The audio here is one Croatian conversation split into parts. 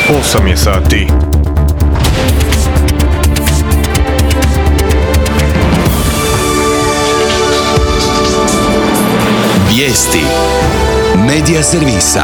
8 je sati. Vijesti Medija servisa.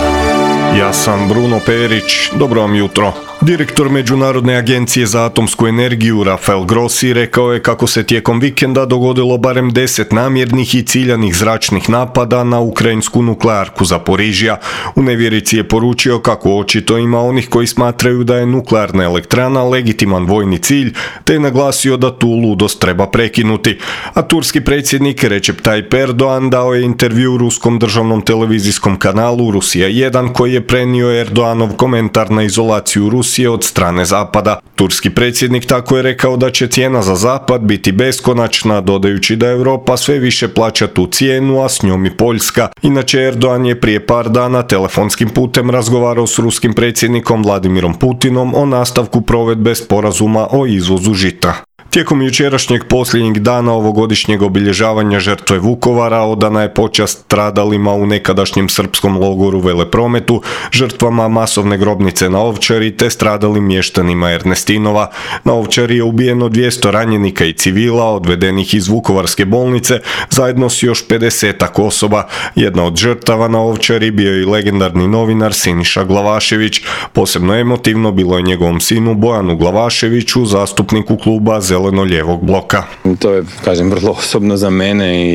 Ja sam Bruno Perić, dobro vam jutro. Direktor Međunarodne agencije za atomsku energiju Rafael Grossi rekao je kako se tijekom vikenda dogodilo barem 10 namjernih i ciljanih zračnih napada na ukrajinsku nuklearku Zaporižja. U nevjerici je poručio kako očito ima onih koji smatraju da je nuklearna elektrana legitiman vojni cilj, te je naglasio da tu ludost treba prekinuti. A turski predsjednik Recep Tayyip Erdogan dao je intervju ruskom državnom televizijskom kanalu Rusija 1 koji je prenio Erdoganov komentar na izolaciju Rusije od strane Zapada. Turski predsjednik tako je rekao da će cijena za Zapad biti beskonačna, dodajući da Europa sve više plaća tu cijenu, a s njom i Poljska. Inače, Erdogan je prije par dana telefonskim putem razgovarao s ruskim predsjednikom Vladimirom Putinom o nastavku provedbe sporazuma o izvozu žita. Tijekom jučerašnjeg posljednjeg dana ovogodišnjeg obilježavanja žrtve Vukovara odana je počast stradalima u nekadašnjem srpskom logoru Veleprometu, žrtvama masovne grobnice na Ovčari te stradalim mještanima Ernestinova. Na Ovčari je ubijeno 200 ranjenika i civila odvedenih iz Vukovarske bolnice zajedno s još 50-ak osoba. Jedna od žrtava na Ovčari bio je i legendarni novinar Siniša Glavašević. Posebno emotivno bilo je njegovom sinu Bojanu Glavaševiću, zastupniku kluba Zeleno-lijevog bloka. To je, vrlo osobno za mene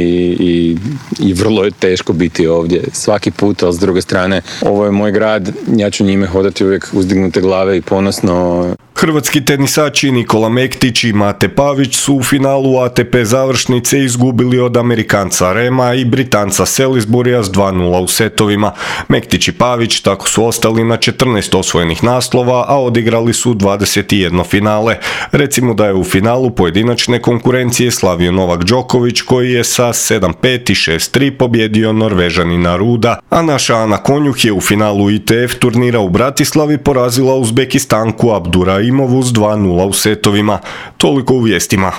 i vrlo je teško biti ovdje svaki put, ali s druge strane, ovo je moj grad, ja ću njime hodati uvijek uzdignute glave i ponosno. Hrvatski tenisači Nikola Mektić i Mate Pavić su u finalu ATP završnice izgubili od Amerikanca Rema i Britanca Salisburya s 2:0 u setovima. Mektić i Pavić tako su ostali na 14 osvojenih naslova, a odigrali su 21 finale. Recimo da je u finalu pojedinačne konkurencije slavio Novak Đoković koji je sa 7:5 i 6:3 pobjedio Norvežanina Ruda, a naša Ana Konjuh je u finalu ITF turnira u Bratislavi porazila Uzbekistanku Abduraimovu s 2:0 u setovima. Toliko u vijestima.